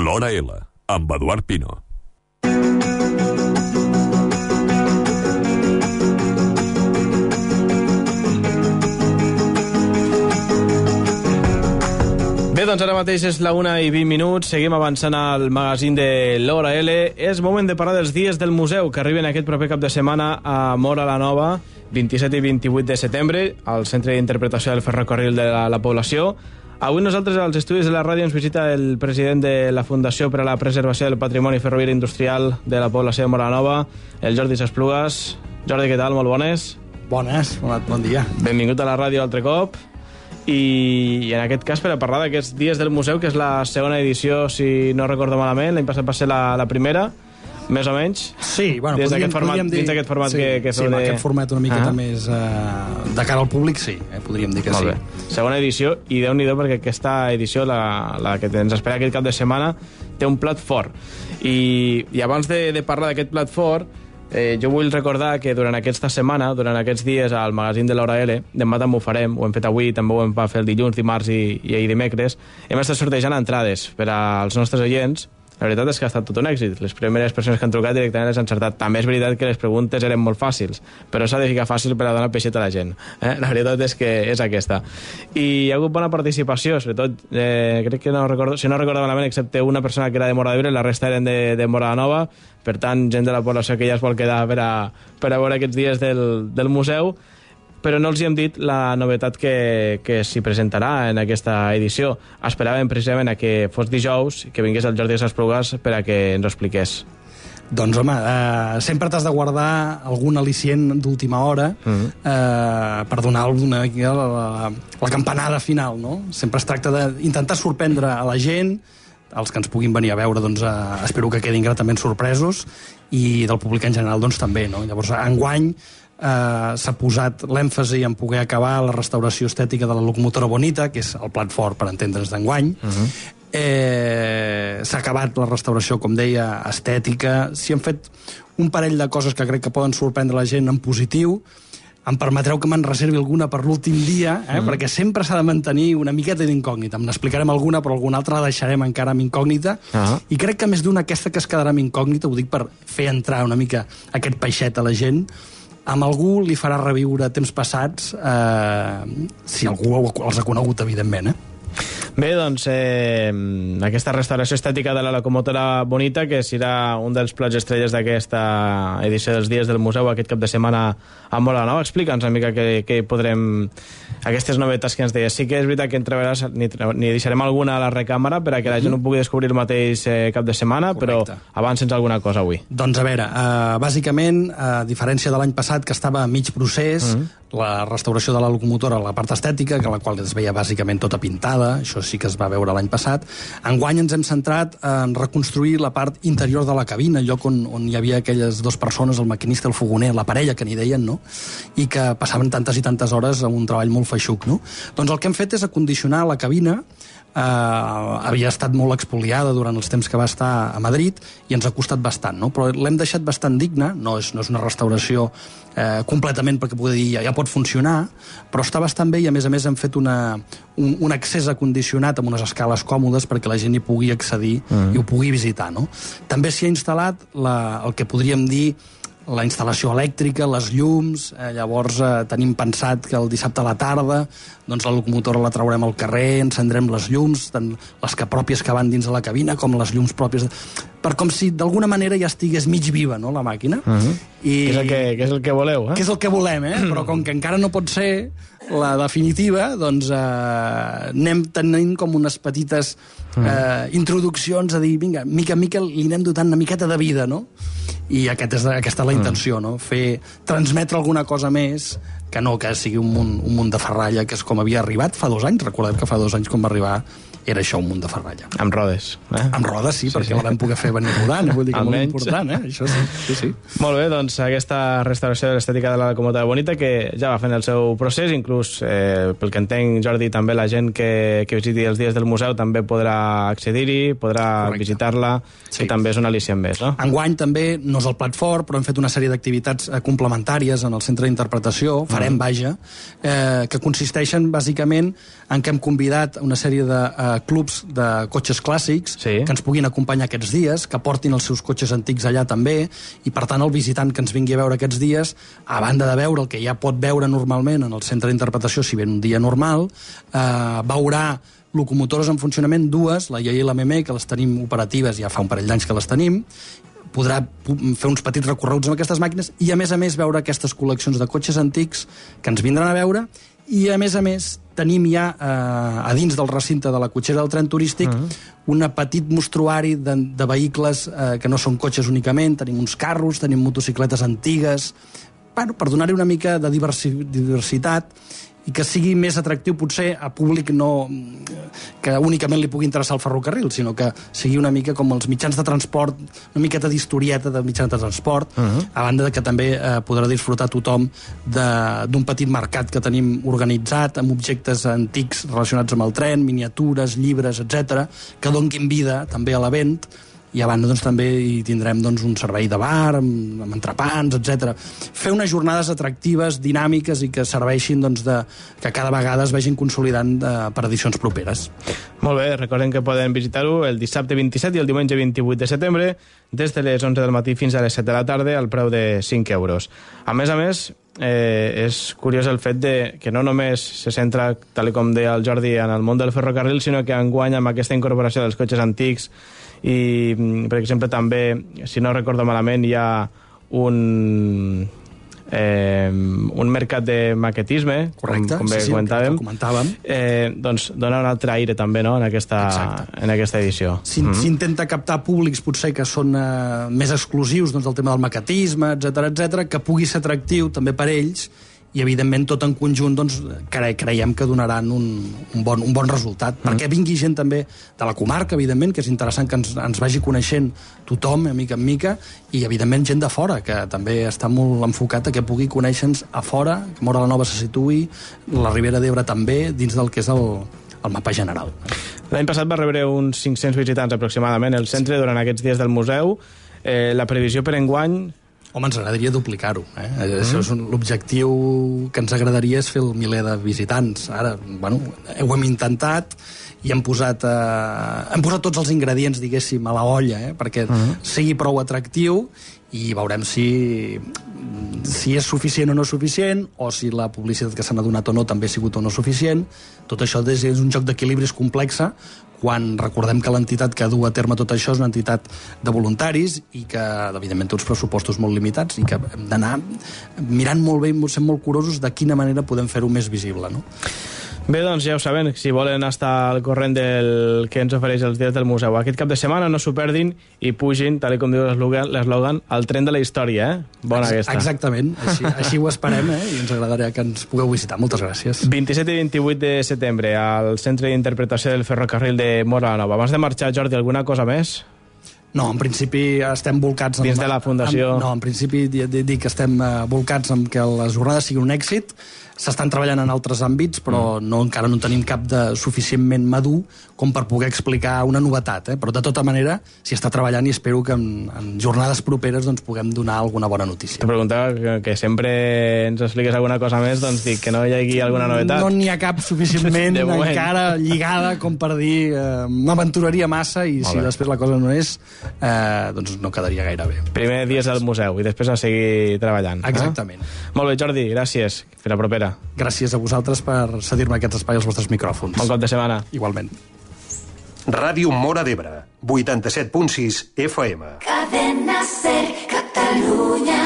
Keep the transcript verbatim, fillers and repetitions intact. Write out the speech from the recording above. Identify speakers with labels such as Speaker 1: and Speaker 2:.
Speaker 1: L'Hora L, amb Eduard Pino.
Speaker 2: Bé, doncs ara mateix és la una i vint minuts, seguim avançant al magazín de l'Hora L. És moment de parlar dels dies del museu que arriben aquest proper cap de setmana a Móra la Nova, vint-i-set i vint-i-vuit de setembre, al Centre d'Interpretació del Ferrocarril de la, la Població. Avui nosaltres, als estudis de la ràdio, ens visita el president de la Fundació per a la Preservació del Patrimoni Ferroviari Industrial de la Població de Móra la Nova, el Jordi Esplugues. Jordi, què tal? Molt bones.
Speaker 3: Bones, bon dia.
Speaker 2: Benvingut a la ràdio altre cop. I, i en aquest cas per a parlar d'aquests dies del museu, que és la segona edició, si no recordo malament, l'any passat va ser la, la primera, més o menys.
Speaker 3: Sí, bueno,
Speaker 2: Des
Speaker 3: podríem,
Speaker 2: format,
Speaker 3: podríem dir...
Speaker 2: Dins d'aquest format
Speaker 3: sí,
Speaker 2: que, que
Speaker 3: sí, amb
Speaker 2: de...
Speaker 3: aquest format una miqueta
Speaker 2: ah.
Speaker 3: més uh, de cara al públic, sí, eh, podríem dir que
Speaker 2: Molt
Speaker 3: sí.
Speaker 2: Bé. Segona edició, i Déu-n'hi-do, perquè aquesta edició, la, la que ens espera aquest cap de setmana, té un plat fort. I, i abans de, de parlar d'aquest plat fort, Eh, jo vull recordar que durant aquesta setmana, durant aquests dies al magazín de l'Hora L, demà també ho farem, ho hem fet avui, també ho hem fet el dilluns, dimarts i, i ahir dimecres, hem estat sortejant entrades per als nostres oients. La veritat és que ha estat tot un èxit. Les primeres persones que han trucat directament les han encertat. També és veritat que les preguntes eren molt fàcils, però s'ha de ficar fàcil per a donar peixet a la gent. Eh? La veritat és que és aquesta. I hi ha hagut bona participació, sobretot, eh, crec que no recordo, si no recordo malament, excepte una persona que era de Móra d'Ebre, la resta eren de, de Móra la Nova, per tant, gent de la població que ja es vol quedar per a, per a veure aquests dies del, del museu, però no els hi hem dit la novetat que, que s'hi presentarà en aquesta edició. Esperàvem precisament a que fos dijous, que vingués el Jordi Esplugues per a que ens ho expliqués.
Speaker 3: Doncs, home, eh, sempre t'has de guardar algun al·licient d'última hora mm-hmm. eh, per donar una, la, la, la campanada final, no? Sempre es tracta d'intentar sorprendre a la gent, els que ens puguin venir a veure, doncs, eh, espero que quedin gratament sorpresos, i del públic en general, doncs, també, no? Llavors, enguany, Uh, s'ha posat l'èmfasi en poder acabar la restauració estètica de la locomotora Bonita, que és el plat fort per entendre's d'enguany. Uh-huh. eh, s'ha acabat la restauració, com deia, estètica. S'hi han fet un parell de coses que crec que poden sorprendre la gent en positiu. Em permetreu que me'n reservi alguna per l'últim dia, eh? uh-huh. perquè sempre s'ha de mantenir una miqueta d'incògnita. En explicarem alguna, però alguna altra la deixarem encara amb incògnita. Uh-huh. I crec que més d'una aquesta que es quedarà amb incògnita, ho dic per fer entrar una mica aquest peixet a la gent, amb algú li farà reviure temps passats, eh, si algú els ha conegut, evidentment, eh?
Speaker 2: Bé, doncs, eh, aquesta restauració estètica de la locomotora Bonita, que serà un dels plats estrelles d'aquesta edició dels dies del museu aquest cap de setmana a Móra la Nova. Explica'ns una mica què, què podrem... Aquestes novetats que ens deies. Sí que és veritat que entreveràs, ni, ni deixarem alguna a la recàmera per a que la gent ho pugui descobrir el mateix eh, cap de setmana. Correcte. Però avancens alguna cosa avui.
Speaker 3: Doncs a veure, eh, bàsicament, a diferència de l'any passat, que estava a mig procés, mm-hmm. la restauració de la locomotora, la part estètica, que la qual es veia bàsicament tota pintada, això sí que es va veure l'any passat. Enguany ens hem centrat en reconstruir la part interior de la cabina, el lloc on, on hi havia aquelles dues persones, el maquinista, el fogoner, la parella, que n'hi deien, no? I que passaven tantes i tantes hores amb un treball molt feixuc, no? Doncs el que hem fet és acondicionar la cabina. Uh, havia estat molt expoliada durant els temps que va estar a Madrid i ens ha costat bastant, no? Però l'hem deixat bastant digna, no és, no és una restauració eh, completament perquè pugui dir ja, ja pot funcionar, però està bastant bé i a més a més hem fet una, un, un accés acondicionat amb unes escales còmodes perquè la gent hi pugui accedir mm. i ho pugui visitar, no? També s'hi ha instal·lat la, el que podríem dir la instal·lació elèctrica, les llums, eh, llavors eh, tenim pensat que el dissabte a la tarda doncs la locomotora la traurem al carrer, encendrem les llums, tant les que pròpies que van dins de la cabina com les llums pròpies, de... per com si d'alguna manera ja estigués mig viva, no, la màquina. Uh-huh. I...
Speaker 2: Que, és el que, que és el que voleu, eh?
Speaker 3: Que és el que volem, eh? Però com que encara no pot ser la definitiva, doncs eh, anem tenint com unes petites eh, introduccions a dir, vinga, mica en mica li anem dotant una miqueta de vida, no? I aquest és, aquesta és la intenció, no? Fer, transmetre alguna cosa més que no que sigui un munt, un munt de ferralla, que és com havia arribat fa dos anys. Recordem que fa dos anys com va arribar era això, un munt de ferralla.
Speaker 2: Amb rodes. Eh?
Speaker 3: Amb rodes, sí, sí perquè sí. La vam poder fer venir rodant, eh? Vull dir que molt important, eh? Això sí, sí, sí.
Speaker 2: Molt bé, doncs aquesta restauració de l'estètica de la locomotora Bonita, que ja va fent el seu procés, inclús, eh, pel que entenc, Jordi, també la gent que, que visiti els dies del museu també podrà accedir-hi, podrà Correcte. Visitar-la, sí. I també és un al·licient més, no? Enguany
Speaker 3: també no és el plat fort, però hem fet una sèrie d'activitats complementàries en el centre d'interpretació, farem, mm. vaja, eh, que consisteixen bàsicament en què hem convidat una sèrie de eh, eh, clubs de cotxes clàssics
Speaker 2: sí.
Speaker 3: que ens puguin acompanyar aquests dies, que portin els seus cotxes antics allà també, i per tant el visitant que ens vingui a veure aquests dies, a banda de veure el que ja pot veure normalment en el centre d'interpretació si ve un dia normal, eh, veurà locomotores en funcionament, dues, la I A i la M M, que les tenim operatives, ja fa un parell d'anys que les tenim, podrà fer uns petits recorreguts amb aquestes màquines i, a més a més, veure aquestes col·leccions de cotxes antics que ens vindran a veure i, a més a més, tenim ja eh, a dins del recinte de la cotxera del tren turístic uh-huh. un petit mostruari de, de vehicles eh, que no són cotxes únicament, tenim uns carros, tenim motocicletes antigues, bueno, per donar-hi una mica de diversi, diversitat i que sigui més atractiu potser a públic no que únicament li pugui interessar el ferrocarril, sinó que sigui una mica com els mitjans de transport, una miqueta d'historieta de mitjans de transport, uh-huh. a banda de que també eh, podrà disfrutar tothom d'un petit mercat que tenim organitzat amb objectes antics relacionats amb el tren, miniatures, llibres, etcètera, que donguin vida també a l'event. I a banda doncs, també hi tindrem doncs, un servei de bar, amb, amb entrepans, etcètera. Fer unes jornades atractives, dinàmiques i que serveixin doncs, de, que cada vegada es vagin consolidant eh, per edicions properes.
Speaker 2: Molt bé, recordem que poden visitar-ho el dissabte vint-i-set i el diumenge vint-i-vuit de setembre des de les onze del matí fins a les set de la tarda al preu de cinc euros. A més a més, eh, és curiós el fet de que no només se centra, tal com deia el Jordi, en el món del ferrocarril, sinó que enguany amb aquesta incorporació dels cotxes antics i, per exemple, també, si no recordo malament, hi ha un, eh, un mercat de maquetisme,
Speaker 3: correcte,
Speaker 2: com, com bé
Speaker 3: sí, sí,
Speaker 2: comentàvem,
Speaker 3: comentàvem.
Speaker 2: Eh, doncs dona un altre aire també, no?, en aquesta, en aquesta edició.
Speaker 3: S'intenta mm-hmm. captar públics potser que són eh, més exclusius doncs, del tema del maquetisme, etcètera, etcètera, que pugui ser atractiu també per ells i, evidentment, tot en conjunt doncs, cre creiem que donaran un, un, bon, un bon resultat. Mm. Perquè vingui gent també de la comarca, evidentment, que és interessant que ens, ens vagi coneixent tothom, mica en mica, i, evidentment, gent de fora, que també està molt enfocat a que pugui conèixer-nos a fora, que Móra la Nova se situï, la Ribera d'Ebre també, dins del que és el, el mapa general.
Speaker 2: L'any passat va rebre uns cinc-cents visitants aproximadament el centre sí. durant aquests dies del museu. Eh, la previsió per enguany...
Speaker 3: Home, ens agradaria duplicar-ho. Eh? Mm. Això és l'objectiu que ens agradaria és fer el miler de visitants. Ara, bueno, ho hem intentat i hem posat, eh, hem posat tots els ingredients, diguéssim, a la olla, eh? perquè mm. sigui prou atractiu i veurem si, si és suficient o no suficient, o si la publicitat que s'ha donat o no també ha sigut o no suficient. Tot això és un joc d'equilibris complexa, quan recordem que l'entitat que du a terme tot això és una entitat de voluntaris i que, evidentment, té uns pressupostos molt limitats i que hem d'anar mirant molt bé i sent molt curosos de quina manera podem fer-ho més visible, no?
Speaker 2: Bé, doncs ja ho saben, si volen estar al corrent del que ens ofereix els dies del museu aquest cap de setmana, no s'ho perdin i pugin, tal com diu l'eslògan, al tren de la història, eh? Bona
Speaker 3: Ex
Speaker 2: aquesta.
Speaker 3: Exactament, així, així ho esperem, eh? I ens agradaria que ens pugueu visitar. Moltes gràcies.
Speaker 2: vint-i-set i vint-i-vuit de setembre al Centre d'Interpretació del Ferrocarril de Móra la Nova. Abans de marxar, Jordi, alguna cosa més?
Speaker 3: No, en principi estem volcats...
Speaker 2: Dins de la Fundació...
Speaker 3: Amb, no, en principi dic que estem volcats amb que les jornades siguin un èxit. S'estan treballant en altres àmbits, però mm. no, encara no tenim cap de suficientment madur com per poder explicar una novetat. Eh? Però, de tota manera, s'hi està treballant i espero que en, en jornades properes doncs, puguem donar alguna bona notícia.
Speaker 2: Te preguntava que, que sempre ens expliques alguna cosa més, doncs dic que no hi hagi alguna novetat.
Speaker 3: No n'hi ha cap suficientment encara lligada com per dir eh, m'aventuraria massa i Molt si bé. Després la cosa no és, eh, doncs no quedaria gaire bé.
Speaker 2: Primer dies al museu i després a seguir treballant.
Speaker 3: Exactament.
Speaker 2: Eh? Molt bé, Jordi, gràcies. Fins la propera.
Speaker 3: Gràcies a vosaltres per cedir-me aquest espai als vostres micròfons.
Speaker 2: Bon cop de setmana.
Speaker 3: Igualment.
Speaker 4: Ràdio Móra d'Ebre, vuitanta-set punt sis F M.
Speaker 5: Cadena Ser, Catalunya.